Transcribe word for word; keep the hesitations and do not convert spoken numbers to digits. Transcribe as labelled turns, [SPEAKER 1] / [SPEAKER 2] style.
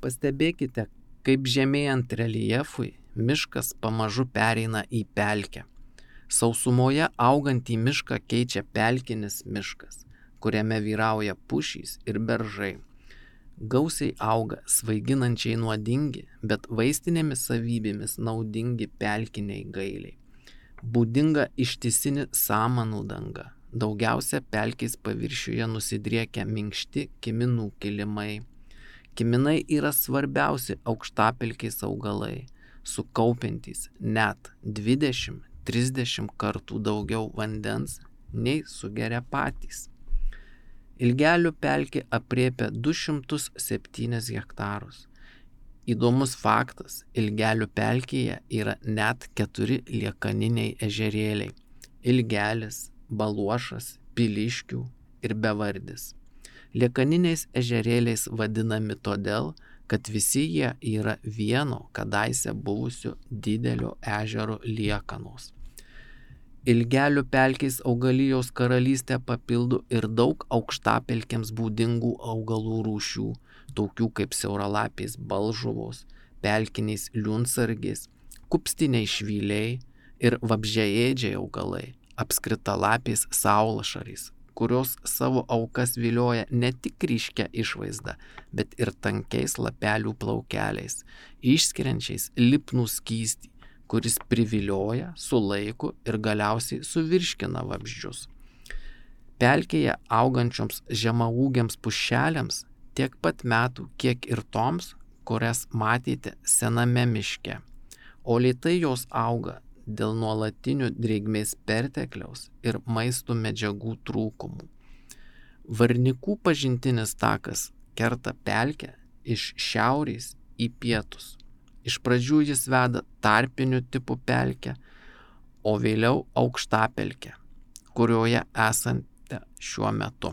[SPEAKER 1] Pastebėkite, kaip žemėjant reljefui miškas pamažu pereina į pelkę. Sausumoje augantį mišką keičia pelkinis miškas, kuriame vyrauja pušys ir beržai. Gausiai auga svaiginančiai nuodingi, bet vaistinėmis savybėmis naudingi pelkiniai gailiai. Būdinga ištisinė samanų danga. Daugiausia pelkės paviršiuje nusidriekia minkšti kiminų kilimai. Kiminai yra svarbiausi aukštapelkės augalai, sukaupiantys net dvidešimt trisdešimt kartų daugiau vandens nei sugeria patys. Ilgelių pelkė aprėpia du šimtus septynis hektarus. Įdomus faktas, Ilgelių pelkėje yra net keturi liekaniniai ežerėliai – Ilgelis, Baluošas, Piliškių ir Bevardis. Liekaniniais ežerėliais vadinami todėl, kad visi jie yra vieno kadaise buvusio didelio ežero liekanos. Ilgelių pelkės augalijos karalystę papildo ir daug aukštapelkėms būdingų augalų rūšių, tokių kaip siauralapės balžuvos, pelkiniais liunsargės, kupstiniai švyliai ir vabzdžiaėdžiai augalai, apskritalapės saulašarės, kurios savo aukas vilioja ne tik ryškia išvaizda, bet ir tankiais lapelių plaukeliais, išskiriančiais lipnų skystį, kuris privilioja, sulaiko ir galiausiai suvirškina vabzdžius. Pelkėje augančioms žemaūgiams pušelėms tiek pat metų, kiek ir toms, kurias matėte sename miške, o lėtai jos auga dėl nuolatinių drėgmės pertekliaus ir maisto medžiagų trūkumų. Varnikų pažintinis takas kerta pelkę iš šiaurės į pietus. Iš pradžių jis veda tarpinių tipų pelkę, o vėliau aukštapelkę, kurioje esate šiuo metu.